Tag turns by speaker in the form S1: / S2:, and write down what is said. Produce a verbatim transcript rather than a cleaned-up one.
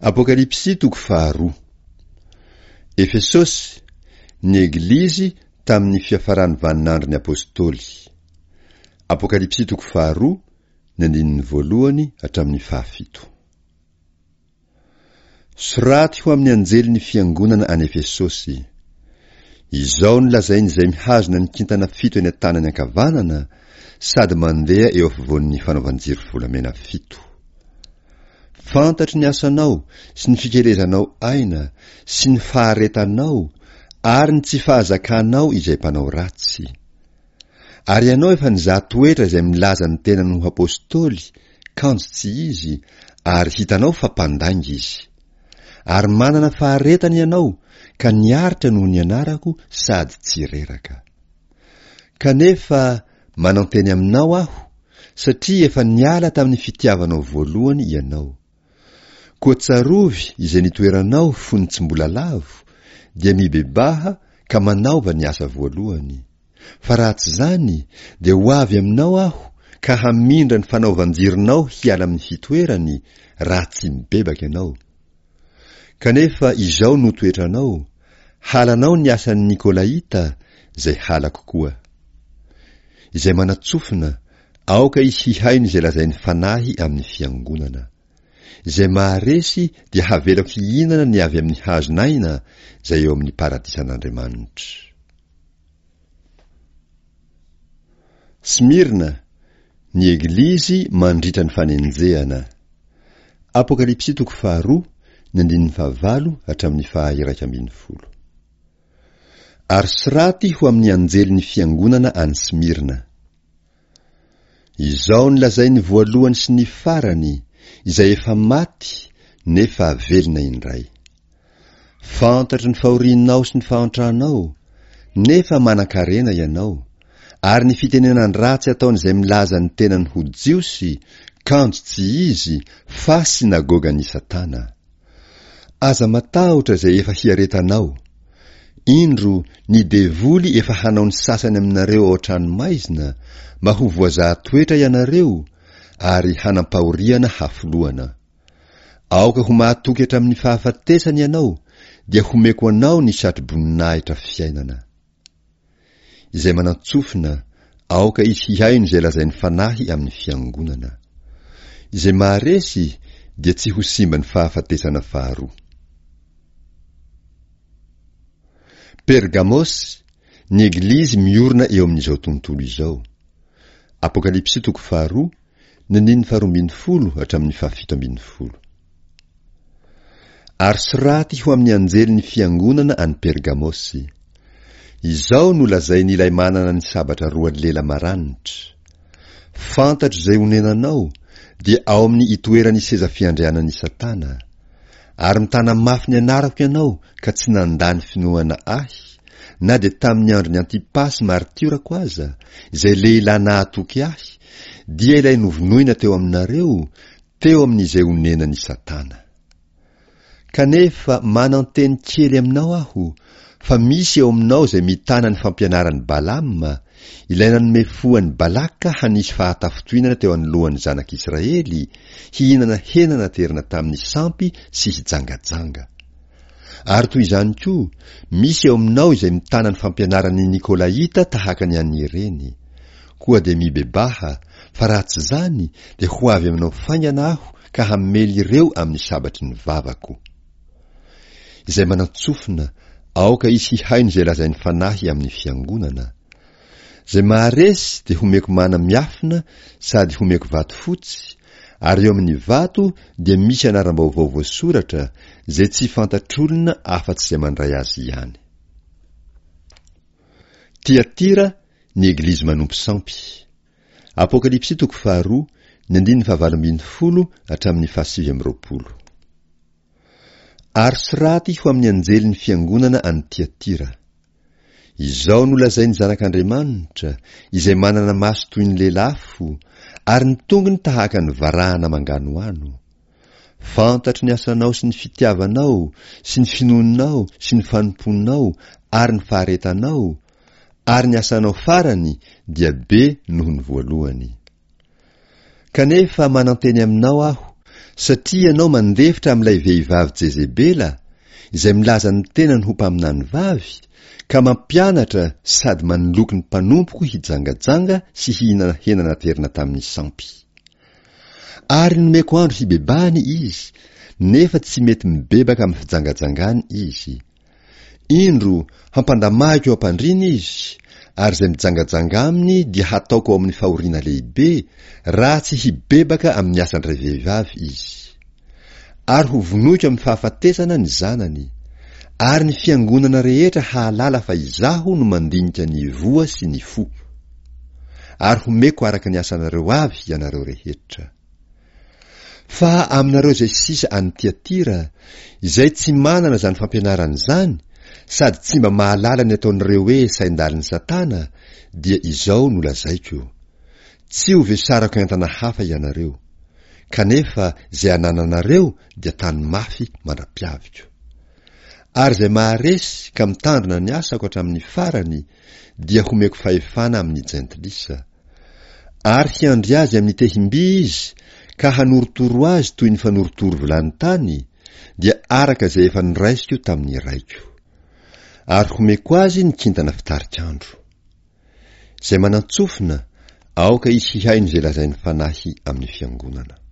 S1: Apokalypsy toko faharoa. Efesosy, ny Eglizy tamin'ny fiafaran'ny vaninandron'ny Apostoly. Apokalypsy toko faharoa, ny andininy voalohany hatramin'ny fahafito. Soraty ho amin'ny anjelin'ny fiangonana any Efesosy. Izao no lazain'izay mihazona ny kintana fito eny an-tanany ankavanana sady mandeha eo afovoan'ny fanaovan-jiro volamena fito. Fantatro ny asanao sy ny fikelezanao aina sy ny faharetanao ary ny tsy fahazakanao izay mpanao ratsy. Ary ianao efa nizaha toetra izay milaza ny tenany ho apostoly, kanjo tsy izy, ary hitanao fa mpandainga izy. Ary manana faharetana ianao ka niaritra noho ny anarako sady tsy reraka. Kanefa mananteny aminao aho, satria efa niala tamin'ny fitiavanao voalohany ianao. Koa tsarovy izay nitoeranao fony tsy mbola lavo, dia mibebaha ka manaova ny asa voalohany. Fa raha tsy izany, dia ho avy aminao aho ka hamindra ny fanaovan-jironao hiala amin'ny fitoerany, raha tsy mibebaka ianao. Kanefa izao no toetranao, halanao ny asan'ny Nikolaita, izay halako koa. Izay manan-tsofina, aoka izy hihaino izay lazain'ny Fanahy amin'ny fiangonana. Izay maharesy dia havelako hihinana ny avy amin'ny hazon'aina izay eo amin'ny paradisan'Andriamanitra. Smyrna, ny Eglizy mandritra ny fanenjehana. Apokalypsy toko faharoa, ny andininy fahavalo hatramin'ny faha-iraika ambin'ny folo. Ary soraty ho amin'ny anjelin'ny fiangonana any Smyrna. Izao no lazain'ny voalohany sy ny farany, izay efa maty nefa velona indray. Fantatro ny fahorianao sy ny fahantranao, nefa manan-karena ianao, ary ny fitenenan-dratsy ataon'izay milaza ny tenany ho Jiosy, kanjo tsy izy, fa synagogan'i Satana. Aza matahotra izay efa hiaretanao. Indro, ny devoly efa hanao ny sasany aminareo ao an-tranomaizina, mba ho voazaha toetra ianareo, ary hanam-pahoriana hafolohana. Aoka ho mahatoky hatramin'ny fahafatesana ianao, dia homeko anao ny satroboninahitra fiainana. Izay manan-tsofina, aoka izy hihaino izay lazain'ny Fanahy amin'ny fiangonana. Izay maharesy dia tsy ho simban'ny fahafatesana faharoa. Pergamosy, ny Eglizy miorina eo amin'izao tontolo izao. Apokalypsy toko faharoa, ny andininy faharoa ambin'ny folo hatramin'ny fahafito ambin'ny folo. Ary soraty ho amin'ny anjelin'ny fiangonana any Pergamosy. Izao no lazain'ilay manana ny sabatra roa lela maranitra, Fantatro izay onenanao, dia ao amin'ny itoeran'ny seza fiandrianan'i Satana. Ary mitana mafy ny anarako ianao ka tsy nandà ny finoana ahy, na dia tamin'ny andron'i Antipasy martiorako aza, izay lehilahy nahatoky ahy, dia ilay novonoina teo aminareo, teo amin'izay onenan'i Satana. Kanefa mananteny kely aminao aho, fa misy eo aminao izay mitana ny fampianaran'i Balama, ilay nanome fo an'i Balaka hanisy fahatafintohinana teo anoloan'ny zanak'Israely, hihinana hena naterina tamin'ny sampy sy hijangajanga. Ary toy izany koa, misy eo aminao izay mitana ny fampianaran'ny Nikolaita tahaka ny an'ireny. Koa dia mibebaha, fa raha tsy izany, dia ho avy aminao faingana aho ka hamely ireo amin'ny sabatry ny vavako. Izay manan-tsofina, aoka izy hihaino izay lazain'ny Fanahy amin'ny fiangonana. Izay maharesy dia homeko mana miafina sady homeko vato fotsy, ary eo amin'ny vato dia misy anaram-baovao voasoratra, izay tsy fantatr'olona afa-tsy izay mandray azy ihany. Tyatira, ny Eglizy manompo sampy. Apokalypsy toko faharoa, ny andininy fahavalo ambin'ny folo hatramin'ny fahasivy amby roapolo. Ary soraty ho amin'ny anjelin'ny fiangonana any Tyatira. Izao no lazain'ny Zanak'Andriamanitra, izay manana maso toy ny lelafo, ary ny tongony tahaka ny varahana manganohano. Fantatro ny asanao sy ny fitiavanao, sy ny finoanao sy ny fanompoanao ary ny faharetanao, ary ny asanao farany dia be noho ny voalohany. Kanefa mananteny aminao aho, Satria ianao mandefitra amin'ilay vehivavy Jezebela, izay milaza ny tenany ho mpaminany vavy, ka mampianatra sady manoloky ny mpanompoko hijangajanga sy hihinana hena naterina tamin'ny sampy. Ary nomeko andro hibebahany izy, nefa tsy mety mibebaka amin'ny fijangajangany izy. Indro, hampandamahiko eo am-pandriana izy, ary izay mijangajanga aminy dia hataoko ao amin'ny fahoriana lehibe, raha tsy hibebaka amin'ny asan-dravehivavy izy. Ary hovonoiko amin'ny fahafatesana ny zanany, ary ny fiangonana rehetra hahalala fa izaho no mandinika ny voa sy ny fo. Ary homeko araka ny asanareo avy ianareo rehetra. Fa aminareo izay sisa any Tiatira, izay tsy manana izany fampianarana izany, sady tsy mba mahalala ny ataon'ireo hoe sain-dalin'i Satana, dia izao no lazaiko, Tsy ho vesarako entana hafa ianareo, kanefa izay anananareo dia tany mafy mandra-piaviko. Ary izay maharesy ka mitandrina ny asako hatramin'ny farany dia homeko fahefana amin'ny jentilisa. Ary hiandry azy amin'ny tehim-by izy ka hanorotoro azy toy ny fanorotoro vilany tany, dia araka izay efa noraisiko tamin'ny Raiko. Ary homeko azy ny kintana fitarik'andro. Izay manan-tsofina, aoka izy hihaino izay lazain'ny Fanahy amin'ny fiangonana.